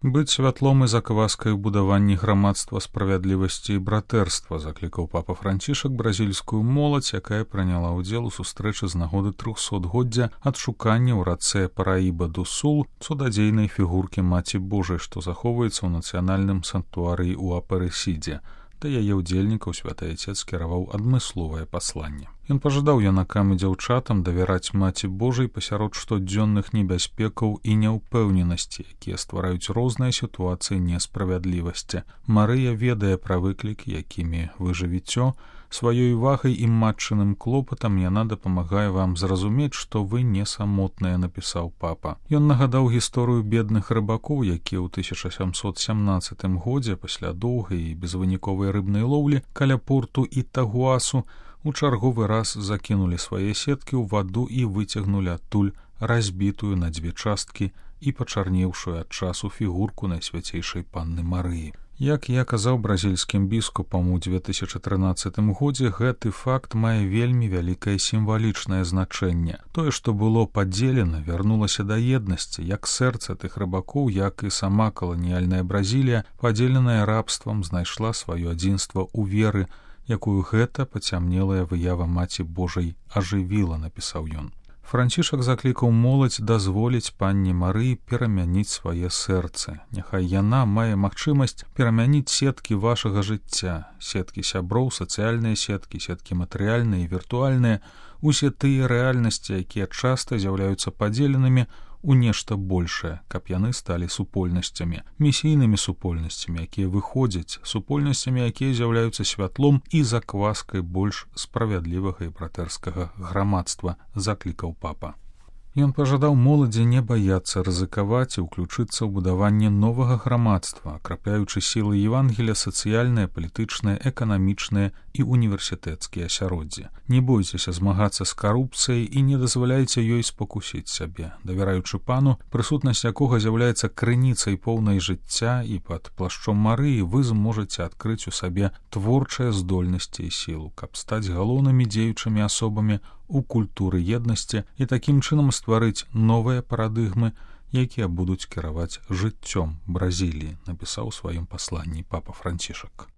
Быць святлом і закваскай у будаванні грамадства справядлівасці і братэрства, заклікаў папа Францішак бразільскую моладзь, якая прыняла ўдзел у сустрэчы з нагоды 300годдзя адшукання ў рацэ Параіба-ду-Сул цудадзейнай фігуркі Маці Божай, што захоўваецца ў нацыянальным санктуарыі ў Апарэсідзе. Да яе ўдзельнікаў святы Айцец скіраваў адмысловае пасланне. Ён пажадаў юнакам і дзяўчатам давяраць Маці Божай пасярод штодзённых небяспекаў і няўпэўненасці, якія ствараюць розныя сітуацыі несправядлівасці. Марыя ведае пра выклікі, якімі вы жывіцё. Сваёй увагай і матчыным клопатам яна дапамагае вам зразумець, што вы не самотныя, напісаў папа. Ён нагадаў гісторыю бедных рыбакоў, якія ў 1717 годзе пасля доўгай і безвыніковай рыбнай лоўлі каля порту Ітагуасу у чарговы раз закінулі свае сеткі ў ваду і выцягнулі адтуль разбітую на дзве часткі і пачарнеўшую ад часу фігурку найсвяцейшай панны Марыі. Як я казаў бразільскім біскупам у 2013 годзе, гэты факт мае вельмі вялікае сімвалічнае значэнне. Тое, што было падзелена, вярнулася да еднасці, як сэрца тых рыбакоў, як і сама каланіяльная Бразілія, падзеленая рабствам, знайшла сваё адзінства ў веры, якую гэта пацямнелая выява Маці Божай ажывіла, напісаў ён. Францішак заклікаў моладзь дазволіць панне Марыі перамяніць свае сэрцы. Няхай яна мае магчымасць перамяніць сеткі вашага жыцця, сеткі сяброў, сацыяльныя сеткі, сеткі матэрыяльныя і віртуальныя, усе тыя рэальнасці, якія часта з'яўляюцца падзеленымі у нешта большае, каб яны сталі супольнасцямі, місійнымі супольнасцямі, якія выходзяць, супольнасцямі, якія з'яўляюцца святлом і закваскай больш справядлівага і братэрскага грамадства, заклікаў папа. Ён пажадаў моладзі не баяцца рызыкаваць і ўключыцца ў будаванне новага грамадства, акрапляючы сілы Евангелія сацыяльныя, палітычныя, эканамічныя і універсітэцкія асяроддзі. Не бойцеся змагацца з карупцыяй і не дазваляйце ёй спакусіць сябе, давяраючы пану, прысутнасць якога з'яўляецца крыніцай поўнай жыцця, і пад плашчом Марыі вы зможаце адкрыць у сабе творчыя здольнасці і сілу, каб стаць галоўнымі дзеючымі асобамі у культуры еднасці і такім чынам стварыць новыя парадыгмы, якія будуць кіраваць жыццём Бразіліі, напісаў у сваім пасланні папа Францішак.